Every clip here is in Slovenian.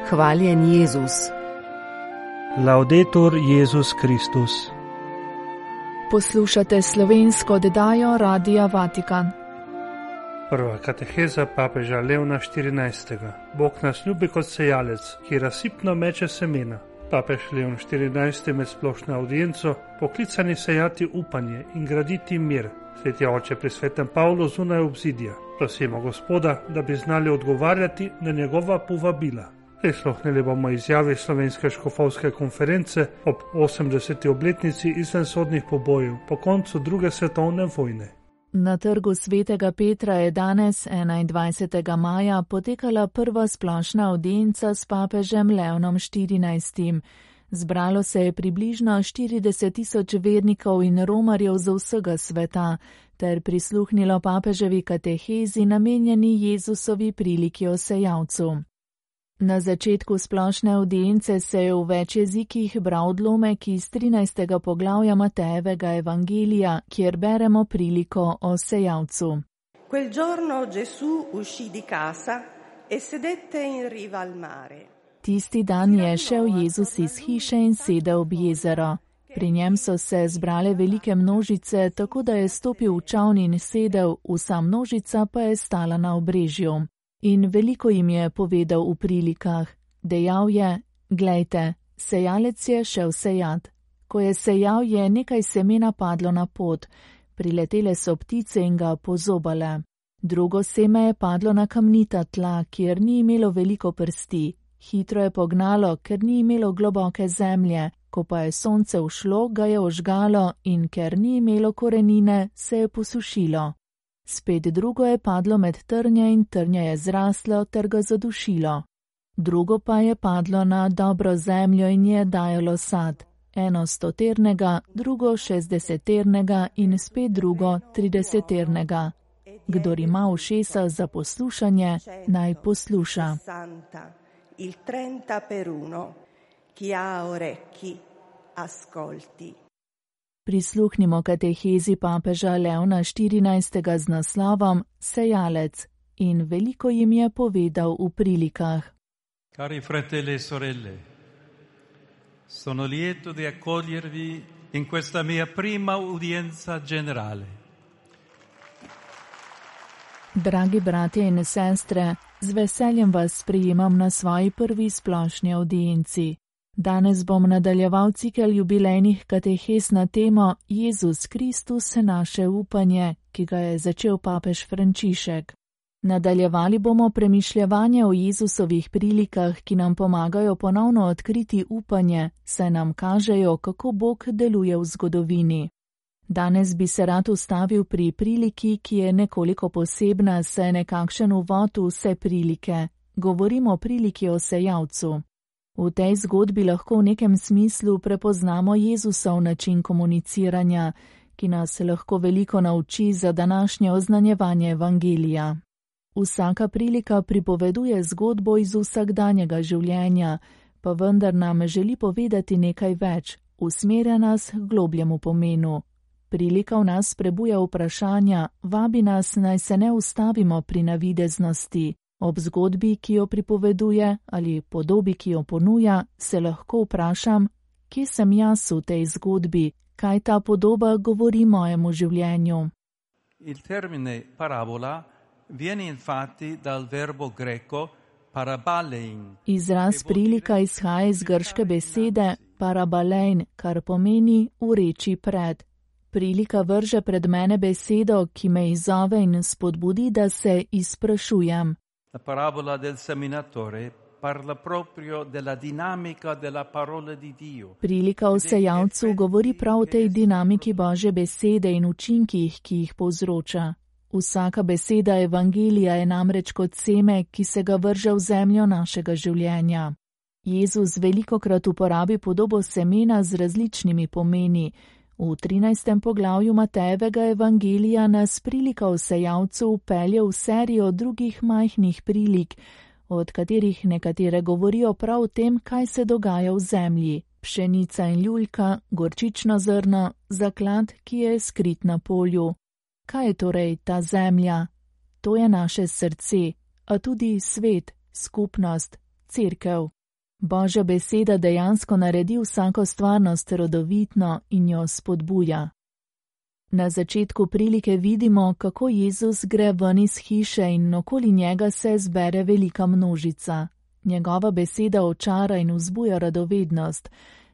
Hvaljen Jezus. Laudetur Jezus Kristus. Poslušate slovensko oddajo Radia Vatikan. Prva kateheza papeža Leona XIV. Bog nas ljubi kot sejalec, ki razsipno meče semena. Papež Leon XIV. Med splošno audienco poklicani sejati upanje in graditi mir. Sveti oče pri svetem Pavlu zunaj obzidja. Prosimo Gospoda, da bi znali odgovarjati na njegova povabila. Prisluhnili bomo izjavi Slovenske škofovske konference ob 80. obletnici izvensodnih pobojev po koncu druge svetovne vojne. Na trgu svetega Petra je danes, 21. maja, potekala prva splošna audienca s papežem Leonom XIV. Zbralo se je približno 40.000 vernikov in romarjev z vsega sveta, ter prisluhnilo papeževi katehezi namenjeni Jezusovi priliki o sejalcu. Na začetku splošne audience se je v več jezikih bral odlomek iz 13. poglavja Matejevega evangelija, kjer beremo priliko o sejalcu. Quel giorno Gesù uscì di casa e sedette in riva al mare. Tisti dan je šel Jezus iz hiše in sedel ob jezero. Pri njem so se zbrale velike množice, tako da je stopil v čoln in sedel, vsa množica pa je stala na obrežju. In veliko jim je povedal v prilikah. Dejal je: glejte, sejalec je šel sejat. Ko je sejal, je nekaj semena padlo na pot. Priletele so ptice in ga pozobale. Drugo seme je padlo na kamnita tla, kjer ni imelo veliko prsti. Hitro je pognalo, ker ni imelo globoke zemlje. Ko pa je sonce ušlo, ga je ožgalo in ker ni imelo korenine, se je posušilo. Spet drugo je padlo med trnje in trnje je zraslo ter ga zadušilo. Drugo pa je padlo na dobro zemljo in je dajalo sad. Eno 100-ternega, drugo 60-ternega in spet drugo 30-ternega. Kdor ima ušesa za poslušanje, naj posluša. Il 30 per 1, chi ha orecchi, ascolti. Prisluhnimo katehezi papeža Leona XIV. Z naslovom Sejalec in veliko jim je povedal v prilikah. Cari fratelli e sorelle, sono lieto di accogliervi in questa mia prima udienza generale. Dragi bratje in sestre, z veseljem vas sprejemam na svoji prvi splošni audienci. Danes bom nadaljeval cikel jubilejnih katehez na temo Jezus Kristus, naše upanje, ki ga je začel papež Frančišek. Nadaljevali bomo premišljevanje o Jezusovih prilikah, ki nam pomagajo ponovno odkriti upanje, saj nam kažejo, kako Bog deluje v zgodovini. Danes bi se rad ustavil pri priliki, ki je nekoliko posebna, saj nekakšen uvod v vse prilike. Govorimo o priliki o sejalcu. V tej zgodbi lahko v nekem smislu prepoznamo Jezusov način komuniciranja, ki nas lahko veliko nauči za današnje oznanjevanje evangelija. Vsaka prilika pripoveduje zgodbo iz vsakdanjega življenja, pa vendar nam želi povedati nekaj več, usmerja nas k globljemu pomenu. Prilika v nas prebuja vprašanja, vabi nas, naj se ne ustavimo pri navideznosti. Ob zgodbi, ki jo pripoveduje, ali podobi, ki jo ponuja, se lahko vprašam, kje sem jaz v tej zgodbi, kaj ta podoba govori mojemu življenju. Il termine parabola viene infatti dal verbo greco parabalein. Izraz prilika izhaja iz grške besede parabalein, kar pomeni ureči pred. Prilika vrže pred mene besedo, ki me izzove in spodbudi, da se izprašujem. La parabola del seminatore parla proprio della dinamica della parola di Dio. Prilika o sejalcu govori prav o tej dinamiki Božje besede in učinkih, ki jih povzroča. Vsaka beseda evangelija je namreč kot seme, ki se ga vrže v zemljo našega življenja. Jezus velikokrat uporabi podobo semena z različnimi pomeni. V 13. poglavju Matejevega evangelija nas prilika o sejalcu vpelje v serijo drugih majhnih prilik, od katerih nekatere govorijo prav o tem, kaj se dogaja v zemlji. Pšenica in ljuljka, gorčično zrno, zaklad, ki je skrit na polju. Kaj je torej ta zemlja? To je naše srce, a tudi svet, skupnost, cerkev. Božja beseda dejansko naredi vsako stvarnost rodovitno in jo spodbuja. Na začetku prilike vidimo, kako Jezus gre ven iz hiše in okoli njega se zbere velika množica. Njegova beseda očara in vzbuja radovednost.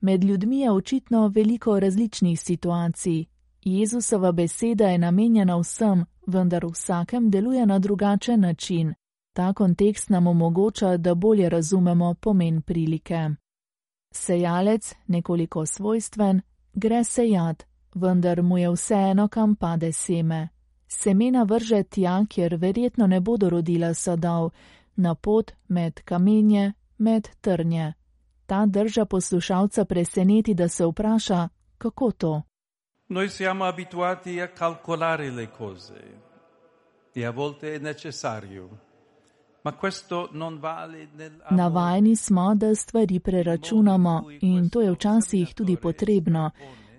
Med ljudmi je očitno veliko različnih situacij. Jezusova beseda je namenjena vsem, vendar vsakem deluje na drugačen način. Ta kontekst nam omogoča, da bolje razumemo pomen prilike. Sejalec, nekoliko svojstven, gre sejat, vendar mu je vseeno, kam pade seme. Semena vrže tja, kjer verjetno ne bodo rodila sadov, na pot, med kamenje, med trnje. Ta drža poslušalca preseneti, da se vpraša, kako to? Noi siamo abituati a calcolare le cose e a volte è necessario. Ma questo non vale Navajeni smo, da stvari preračunamo in to je včasih tudi potrebno,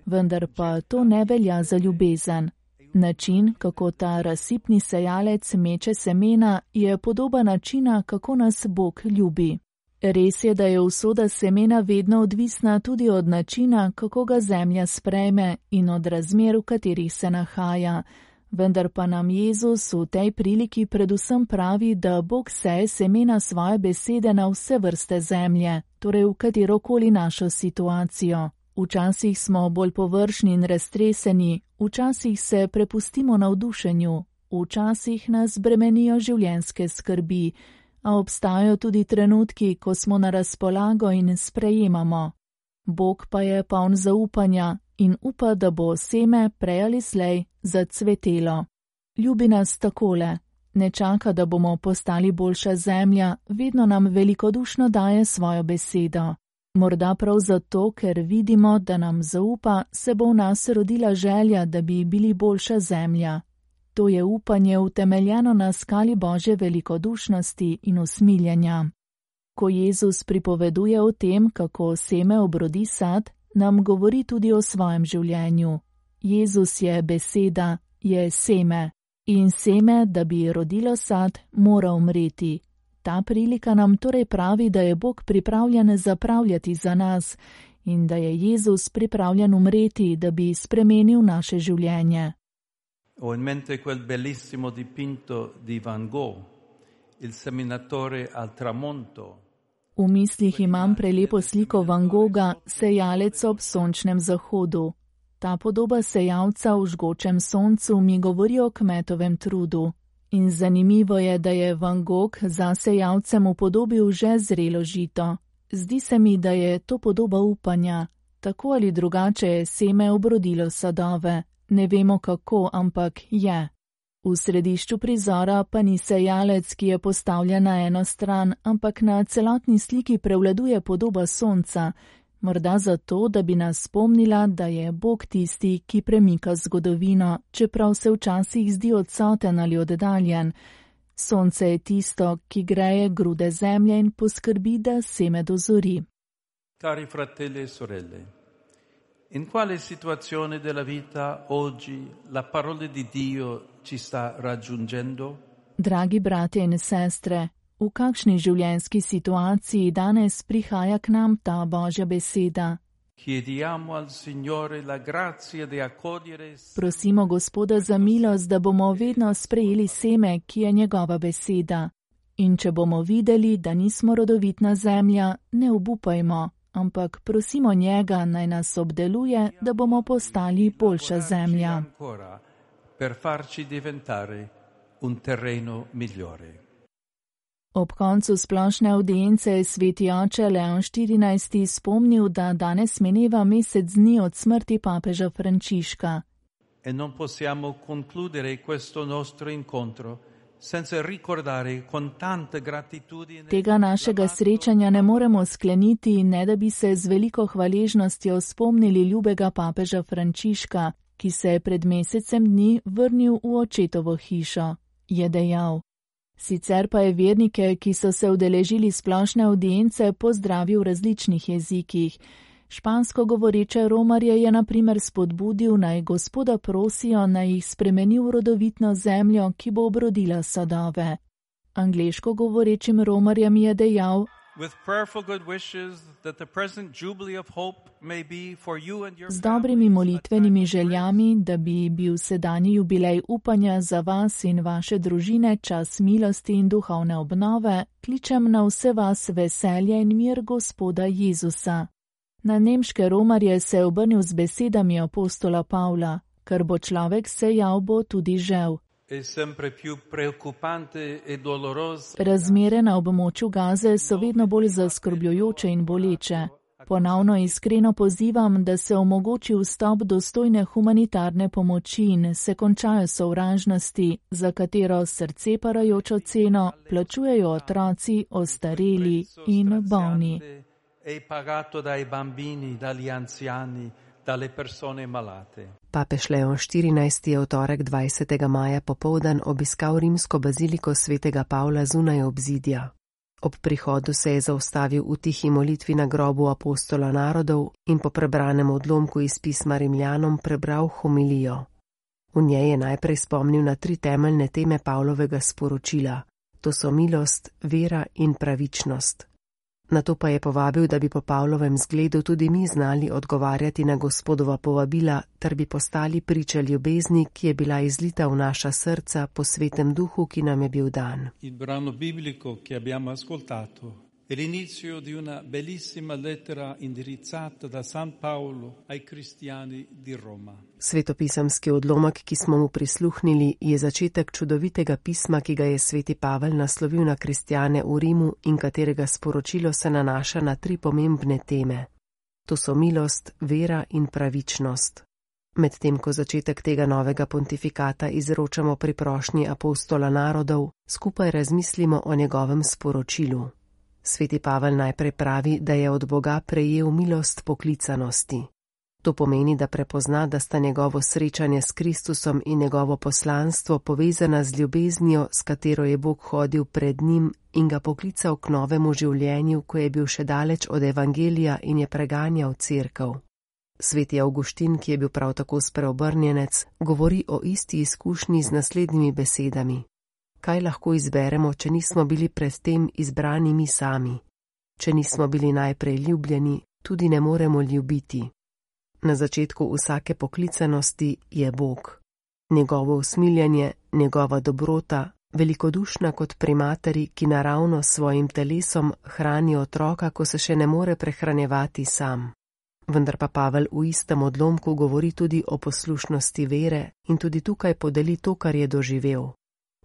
vendar pa to ne velja za ljubezen. Način, kako ta razsipni sejalec meče semena, je podoba načina, kako nas Bog ljubi. Res je, da je usoda semena vedno odvisna tudi od načina, kako ga zemlja sprejme in od razmer, v katerih se nahaja. Vendar pa nam Jezus v tej priliki predvsem pravi, da Bog seje semena svoje besede na vse vrste zemlje, torej v katerokoli našo situacijo. Včasih smo bolj površni in raztreseni, včasih se prepustimo navdušenju, včasih nas bremenijo življenjske skrbi, a obstajajo tudi trenutki, ko smo na razpolago in sprejemamo. Bog pa je poln zaupanja in upa, da bo seme prej ali slej zacvetelo. Ljubi nas takole, ne čaka, da bomo postali boljša zemlja, vedno nam velikodušno daje svojo besedo. Morda prav zato, ker vidimo, da nam zaupa, se bo v nas rodila želja, da bi bili boljša zemlja. To je upanje utemeljeno na skali Božje velikodušnosti in usmiljenja. Ko Jezus pripoveduje o tem, kako seme obrodi sad, nam govori tudi o svojem življenju. Jezus je beseda, je seme. In seme, da bi rodilo sad, mora umreti. Ta prilika nam torej pravi, da je Bog pripravljen zapravljati za nas in da je Jezus pripravljen umreti, da bi spremenil naše življenje. Ho in mente quel bellissimo dipinto di Van Gogh, il seminatore al tramonto. V mislih imam prelepo sliko Van Gogha, sejalec ob sončnem zahodu. Ta podoba sejalca v žgočem soncu mi govori o kmetovem trudu. In zanimivo je, da je Van Gogh za sejalcem upodobil že zrelo žito. Zdi se mi, da je to podoba upanja. Tako ali drugače je seme obrodilo sadove. Ne vemo kako, ampak je. V središču prizora pa ni sejalec, ki je postavljen na eno stran, ampak na celotni sliki prevladuje podoba sonca, morda zato, da bi nas spomnila, da je Bog tisti, ki premika zgodovino, čeprav se včasih zdi odsoten ali oddaljen. Sonce je tisto, ki greje grude zemlje in poskrbi, da seme dozori. Cari fratelli e sorelle, in quale situazione della vita oggi la parola di Dio ci sta raggiungendo? Dragi bratje in sestre, v kakšni življenjski situaciji danes prihaja k nam ta Božja beseda? Chiediamo al Signore la grazia di accogliere. Prosimo Gospoda za milost, da bomo vedno sprejeli seme, ki je njegova beseda. In če bomo videli, da nismo rodovitna zemlja, ne obupajmo, ampak prosimo njega, naj nas obdeluje, da bomo postali boljša zemlja. Per farci diventare un terreno migliore. Ob koncu splošne avdience je sveti oče Leon XIV. Spomnil, da danes mineva mesec dni od smrti papeža Frančiška. E non possiamo concludere questo nostro incontro senza ricordare con tanta gratitudine. Tega našega srečanja ne moremo skleniti, ne da bi se z veliko hvaležnostjo spomnili ljubega papeža Frančiška, ki se je pred mesecem dni vrnil v očetovo hišo, je dejal. Sicer pa je vernike, ki so se udeležili splošne avdience, pozdravil v različnih jezikih. Špansko govoreče romarje je na primer spodbudil, naj Gospoda prosijo, naj jih spremeni v rodovitno zemljo, ki bo obrodila sadove. Angleško govorečim romarjem je dejal: Z dobrimi molitvenimi željami, da bi bil sedanji jubilej upanja za vas in vaše družine čas milosti in duhovne obnove, kličem na vse vas veselje in mir Gospoda Jezusa. Na nemške romarje se je obrnil z besedami apostola Pavla: kar bo človek sejal, bo tudi žel. Razmere na območju Gaze so vedno bolj zaskrbljujoče in boleče. Ponovno iskreno pozivam, da se omogoči vstop dostojne humanitarne pomoči in se končajo sovražnosti, za katero srce parajočo ceno plačujejo otroci, ostareli in bolni. Papež Leon XIV je v torek 20. maja popoldan obiskal rimsko baziliko svetega Pavla zunaj obzidja. Ob prihodu se je zaustavil v tihi molitvi na grobu apostola narodov in po prebranem odlomku iz pisma Rimljanom prebral homilijo. V njej je najprej spomnil na 3 temeljne teme Pavlovega sporočila. To so milost, vera in pravičnost. Nato pa je povabil, da bi po Pavlovem zgledu tudi mi znali odgovarjati na Gospodova povabila, ter bi postali priče ljubezni, ki je bila izlita v naša srca po svetem duhu, ki nam je bil dan. Il brano biblico che abbiamo ascoltato è l'inizio di una bellissima lettera indirizzata da San Paolo ai cristiani di Roma. Svetopisemski odlomek, ki smo mu prisluhnili, je začetek čudovitega pisma, ki ga je sveti Pavel naslovil na kristjane v Rimu in katerega sporočilo se nanaša na 3 pomembne teme. To so milost, vera in pravičnost. Medtem ko začetek tega novega pontifikata izročamo pri prošnji apostola narodov, skupaj razmislimo o njegovem sporočilu. Sveti Pavel najprej pravi, da je od Boga prejel milost poklicanosti. To pomeni, da prepozna, da sta njegovo srečanje s Kristusom in njegovo poslanstvo povezana z ljubeznijo, s katero je Bog hodil pred njim in ga poklical k novemu življenju, ko je bil še daleč od evangelija in je preganjal cerkev. Sveti Avguštin, ki je bil prav tako spreobrnjenec, govori o isti izkušnji z naslednjimi besedami. Kaj lahko izberemo, če nismo bili predtem izbrani mi sami? Če nismo bili najprej ljubljeni, tudi ne moremo ljubiti. Na začetku vsake poklicanosti je Bog. Njegovo usmiljanje, njegova dobrota, velikodušna kot pri materi, ki naravno s svojim telesom hrani otroka, ko se še ne more prehranjevati sam. Vendar pa Pavel v istem odlomku govori tudi o poslušnosti vere in tudi tukaj podeli to, kar je doživel.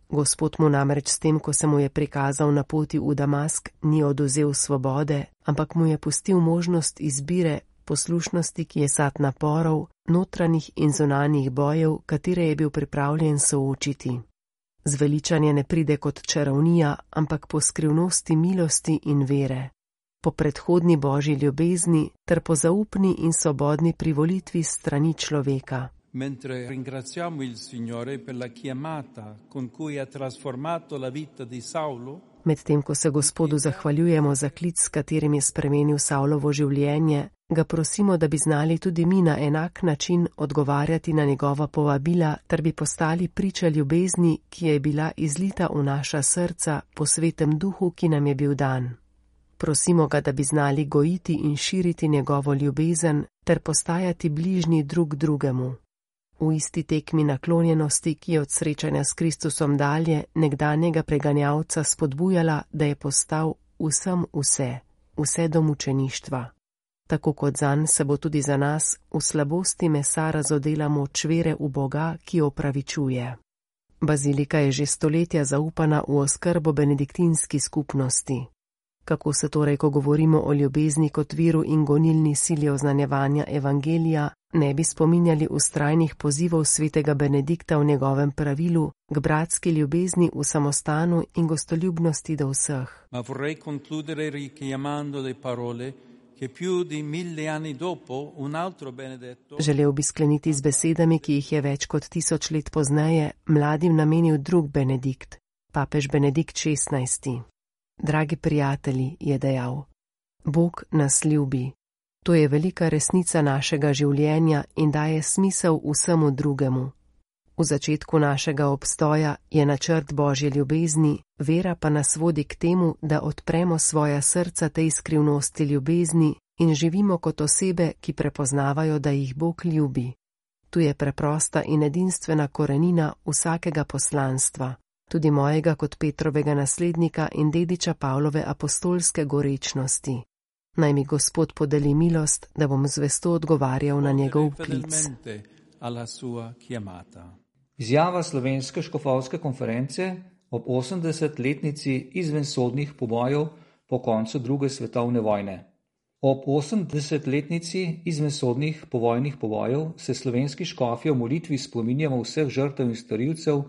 Gospod mu namreč s tem, ko se mu je prikazal na poti v Damask, ni oduzel svobode, ampak mu je pustil možnost izbire, poslušnosti, ki je sad naporov, notranjih in zunanjih bojev, katere je bil pripravljen soočiti. Zveličanje ne pride kot čarovnija, ampak po skrivnosti milosti in vere, po predhodni božji ljubezni ter po zaupni in svobodni privolitvi strani človeka. Mentre ringraziamo il Signore per la chiamata con cui ha trasformato la vita di Saulo, medtem ko se Gospodu zahvaljujemo za klic, s katerim je spremenil Saulovo življenje, ga prosimo, da bi znali tudi mi na enak način odgovarjati na njegova povabila, ter bi postali priče ljubezni, ki je bila izlita v naša srca po svetem duhu, ki nam je bil dan. Prosimo ga, da bi znali gojiti in širiti njegovo ljubezen, ter postajati bližnji drug drugemu. V isti tekmi naklonjenosti, ki je od srečanja s Kristusom dalje nekdanjega preganjalca spodbujala, da je postal vsem vse do mučeništva. Tako kot zanj se bo tudi za nas v slabosti mesa razodela moč vere v Boga, ki opravičuje. Bazilika je že stoletja zaupana v oskrbo benediktinski skupnosti. Kako se torej, ko govorimo o ljubezni kot viru in gonilni sili oznanjevanja evangelija, ne bi spominjali vztrajnih pozivov svetega Benedikta v njegovem pravilu k bratski ljubezni v samostanu in gostoljubnosti do vseh. Ma vorrei concludere richiamando le parole che più di 1000 anni dopo un altro Benedetto. Želel bi skleniti z besedami, ki jih je več kot 1000 let pozneje mladim namenil drug Benedikt, papež Benedikt XVI. Dragi prijatelji, je dejal, Bog nas ljubi. To je velika resnica našega življenja in daje smisel vsemu drugemu. V začetku našega obstoja je načrt Božje ljubezni, vera pa nas vodi k temu, da odpremo svoja srca tej skrivnosti ljubezni in živimo kot osebe, ki prepoznavajo, da jih Bog ljubi. Tu je preprosta in edinstvena korenina vsakega poslanstva, tudi mojega kot Petrovega naslednika in dediča Pavlove apostolske gorečnosti. Naj mi Gospod podeli milost, da bom zvesto odgovarjal na njegov klic. Izjava Slovenske škofovske konference ob 80-letnici izvensodnih pobojev po koncu druge svetovne vojne. Ob 80-letnici izvensodnih povojnih pobojev se slovenski škofje v molitvi spominjamo vseh žrtev in storilcev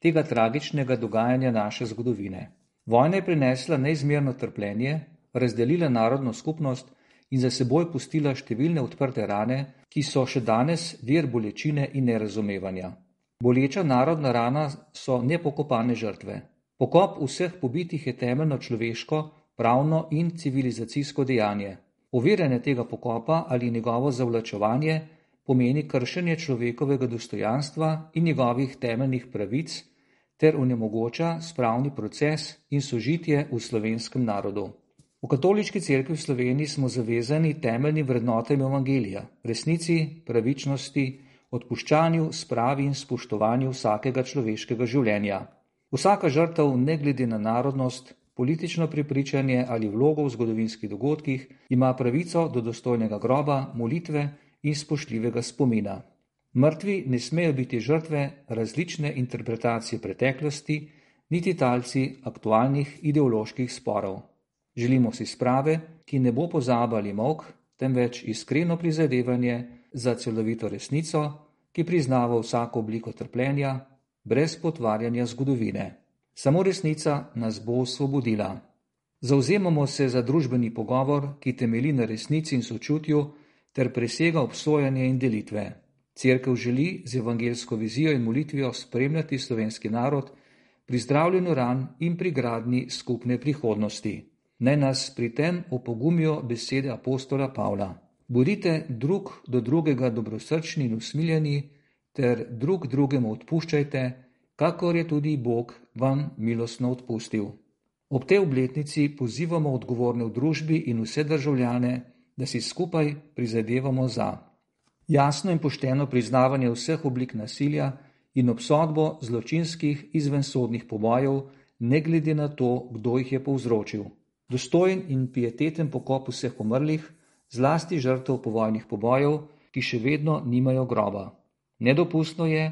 tega tragičnega dogajanja naše zgodovine. Vojna je prinesla neizmerno trpljenje, razdelila narodno skupnost in za seboj pustila številne odprte rane, ki so še danes vir bolečine in nerazumevanja. Boleča narodna rana so nepokopane žrtve. Pokop vseh pobitih je temeljno človeško, pravno in civilizacijsko dejanje. Oviranje tega pokopa ali njegovo zavlačevanje pomeni kršenje človekovega dostojanstva in njegovih temeljnih pravic ter onemogoča spravni proces in sožitje v slovenskem narodu. V Katoliški cerkvi v Sloveniji smo zavezani temeljnim vrednotam evangelija, resnici, pravičnosti, odpuščanju, spravi in spoštovanju vsakega človeškega življenja. Vsaka žrtev, ne glede na narodnost, politično prepričanje ali vlogo v zgodovinskih dogodkih, ima pravico do dostojnega groba, molitve in spoštljivega spomina. Mrtvi ne smejo biti žrtve različne interpretacije preteklosti, niti talci aktualnih ideoloških sporov. Želimo si sprave, ki ne bo pozaba ali molk, temveč iskreno prizadevanje za celovito resnico, ki priznava vsako obliko trpljenja, brez potvarjanja zgodovine. Samo resnica nas bo osvobodila. Zavzemamo se za družbeni pogovor, ki temelji na resnici in sočutju ter presega obsojanje in delitve. Cerkev želi z evangelsko vizijo in molitvijo spremljati slovenski narod pri zdravljenju ran in pri gradnji skupne prihodnosti. Naj nas pri tem opogumijo besede apostola Pavla. Bodite drug do drugega dobrosrčni in usmiljeni ter drug drugemu odpuščajte, kakor je tudi Bog vam milostno odpustil. Ob tej obletnici pozivamo odgovorne v družbi in vse državljane, da si skupaj prizadevamo za jasno in pošteno priznavanje vseh oblik nasilja in obsodbo zločinskih izvensodnih pobojev, ne glede na to, kdo jih je povzročil. Dostojen in pieteten pokop vseh umrlih, zlasti žrtev povojnih pobojev, ki še vedno nimajo groba. Nedopustno je,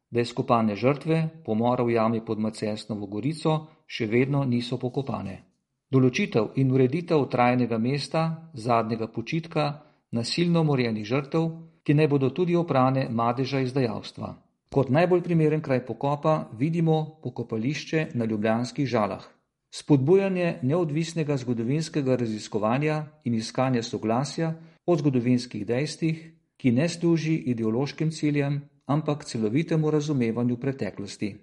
da izkopane žrtve pomora v jami pod Macesnovo Gorico še vedno niso pokopane. Določitev in ureditev trajnega mesta, zadnjega počitka, nasilno umorjenih žrtev, ki naj bodo tudi oprane madeža izdajalstva. Kot najbolj primeren kraj pokopa vidimo pokopališče na ljubljanskih Žalah. Spodbujanje neodvisnega zgodovinskega raziskovanja in iskanja soglasja o zgodovinskih dejstvih, ki ne služi ideološkim ciljem, ampak celovitemu razumevanju preteklosti.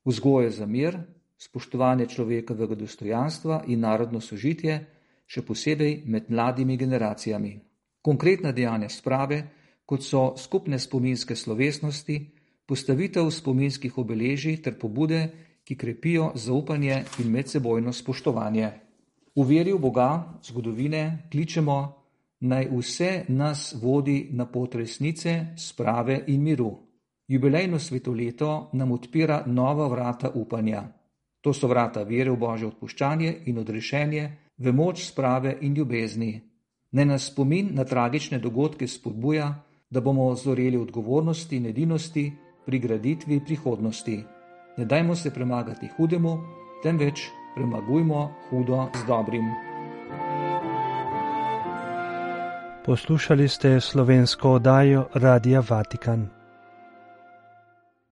Vzgoje za mir, spoštovanje človekovega dostojanstva in narodno sožitje, še posebej med mladimi generacijami. Konkretna dejanja sprave, kot so skupne spominske slovesnosti, postavitev spominskih obeležij ter pobude, ki krepijo zaupanje in medsebojno spoštovanje. V veri v Boga, zgodovine, kličemo, naj vse nas vodi na pot resnice, sprave in miru. Jubilejno svetoleto nam odpira nova vrata upanja. To so vrata vere v Božje odpuščanje in odrešenje, v moč sprave in ljubezni. Naj nas spomin na tragične dogodke spodbuja, da bomo zoreli odgovornosti in edinosti pri graditvi prihodnosti. Ne dajmo se premagati hudemu, temveč premagujmo hudo z dobrim. Poslušali ste slovensko oddajo Radia Vatikan.